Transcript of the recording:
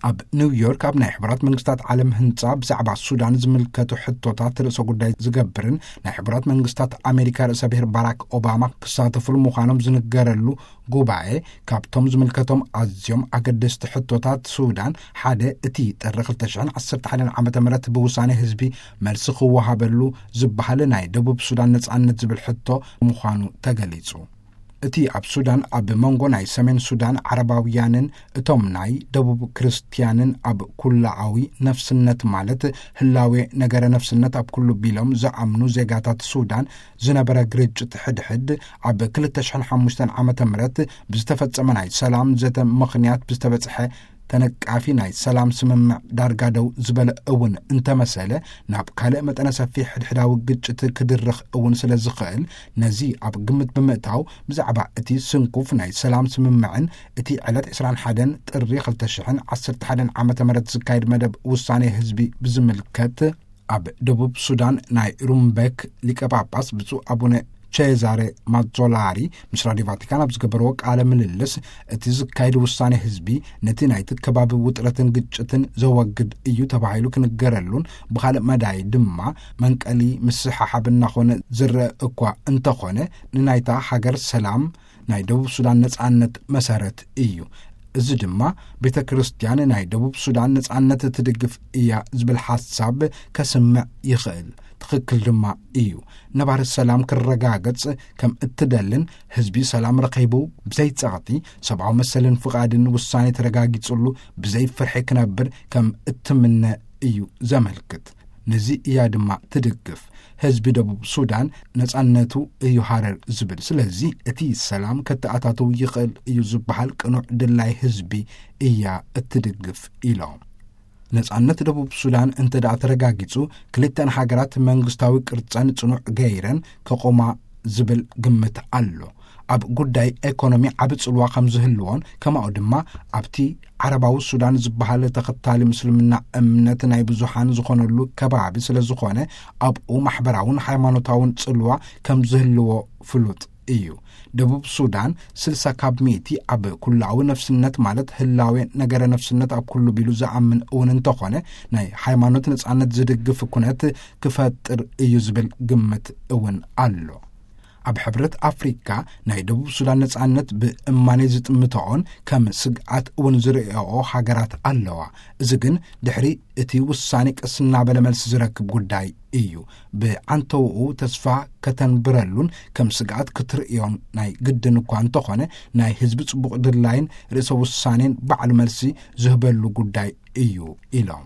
ኣብ ኒውዮርክ ኣብ ናይ ሕቡራት መንግስታት ዓለም ህንጻ ብዛዕባ ሱዳን ዝምልከቱ ሕቶታት ርእሰ ጉዳይ ዝገብርን ናይ ሕቡራት መንግስታት ኣሜሪካ ርእሰ ብሔር ባራክ ኦባማ ክሳተፉሉ ምዃኖም ዝንገረሉ ጉባኤ፣ ካብቶም ዝምልከቶም ኣዝዮም ኣገደስቲ ሕቶታት ሱዳን ሓደ፣ እቲ ጥሪ ክልተ ሽሕን ዓሰርተ ሓደን ዓመተ ምህረት ብውሳኔ ህዝቢ መልሲ ክወሃበሉ ዝበሃል ናይ ደቡብ ሱዳን ነጻነት ዝብል ሕቶ ምዃኑ ተገሊጹ። እቲ ኣብ ሱዳን ኣብ መንጎ ናይ ሰሜን ሱዳን ዓረባውያንን እቶም ናይ ደቡብ ክርስትያንን ኣብ ኩላኣዊ ነፍስነት ማለት ህላዌ ነገረ ነፍስነት ኣብ ኩሉ ቢሎም ዝኣምኑ ዜጋታት ሱዳን ዝነበረ ግርጭት ሕድሕድ ኣብ ክልተ ሽሕን ሓሙሽተን ዓመተ ምህረት ብዝተፈጸመ ናይ ሰላም ዘተ ምኽንያት ብዝተበጽሐ ተነቃፊ ናይ ሰላም ስምምዕ ዳርጋ ደው ዝበለ እውን እንተመሰለ፣ ናብ ካልእ መጠነ ሰፊሕ ሕድሕዳዊ ግጭት ክድርኽ እውን ስለ ዝኽእል፣ ነዚ ኣብ ግምት ብምእታው ብዛዕባ እቲ ስንኩፍ ናይ ሰላም ስምምዕን እቲ ዕለት ዕስራን ሓደን ጥሪ ክልተ ሽሕን ዓሰርተ ሓደን ዓመተ ምህረት ዝካየድ መደብ ውሳኔ ህዝቢ ብዝምልከት፣ ኣብ ደቡብ ሱዳን ናይ ሩምቤክ ሊቀ ጳጳስ ብፁዕ ኣቡነ ቼዛሬ ማዞላሪ ምስ ራድዮ ቫቲካን ኣብ ዝገበርዎ ቃለ ምልልስ፣ እቲ ዝካየድ ውሳኔ ህዝቢ ነቲ ናይቲ ከባቢ ውጥረትን ግጭትን ዘወግድ እዩ ተባሂሉ ክንገረሉን፣ ብኻልእ መዳይ ድማ መንቀሊ ምስሕሓብ እናኾነ ዝረአ እኳ እንተኾነ፣ ንናይታ ሃገር ሰላም ናይ ደቡብ ሱዳን ነጻነት መሰረት እዩ። እዚ ድማ ቤተ ክርስቲያን ናይ ደቡብ ሱዳን ነጻነት ትድግፍ እያ ዝብል ሓሳብ ከስምዕ ይኽእል። ትኽክል ድማ እዩ። ነባሪ ሰላም ክረጋገጽ ከም እትደልን ህዝቢ ሰላም ረኺቡ ብዘይ ጸቕጢ ሰብኣዊ መሰልን ፍቓድን ውሳኔ ተረጋጊጽሉ ብዘይ ፍርሒ ክነብር ከም እትምነ እዩ ዘመልክት። ነዚ እያ ድማ ትድግፍ። ህዝቢ ደቡብ ሱዳን ነጻነቱ እዩ ሃረር ዝብል። ስለዚ እቲ ሰላም ከተኣታትው ይኽእል እዩ ዝበሃል ቅኑዕ ድላይ ህዝቢ እያ እትድግፍ ኢሎም። ነጻነት ደቡብ ሱዳን እንተ ደኣ ተረጋጊጹ፣ ክልተን ሃገራት መንግስታዊ ቅርጸን ጽኑዕ ገይረን ከቆማ ዝብል ግምት ኣሎ። ኣብ ጉዳይ ኤኮኖሚ ዓቢ ጽልዋ ከም ዝህልዎን፣ ከማኡ ድማ ኣብቲ ዓረባዊ ሱዳን ዝበሃል ተኸታሊ ምስልምና እምነት ናይ ብዙሓን ዝኾነሉ ከባቢ ስለ ዝኾነ፣ ኣብኡ ማሕበራውን ሃይማኖታውን ጽልዋ ከም ዝህልዎ ፍሉጥ እዩ። ደቡብ ሱዳን ስልሳ ካብ ሚእቲ ኣብ ኩላዊ ነፍስነት ማለት ህላዌ ነገረ ነፍስነት ኣብ ኩሉ ቢሉ ዝኣምን እውን እንተኾነ፣ ናይ ሃይማኖት ነጻነት ዝድግፍ ኩነት ክፈጥር እዩ ዝብል ግምት እውን ኣሎ። ኣብ ሕብረት ኣፍሪካ ናይ ደቡብ ሱዳን ነጻነት ብእማኔ ዝጥምተኦን ከም ስግኣት እውን ዝርእኦ ሃገራት ኣለዋ። እዚ ግን ድሕሪ እቲ ውሳኔ ቀስ እናበለ መልሲ ዝረክብ ጉዳይ እዩ። ብዓንተውኡ ተስፋ ከተንብረሉን ከም ስግኣት ክትርእዮን ናይ ግድን እኳ እንተኾነ፣ ናይ ህዝቢ ጽቡቕ ድላይን ርእሰ ውሳኔን ባዕሉ መልሲ ዝህበሉ ጉዳይ እዩ ኢሎም።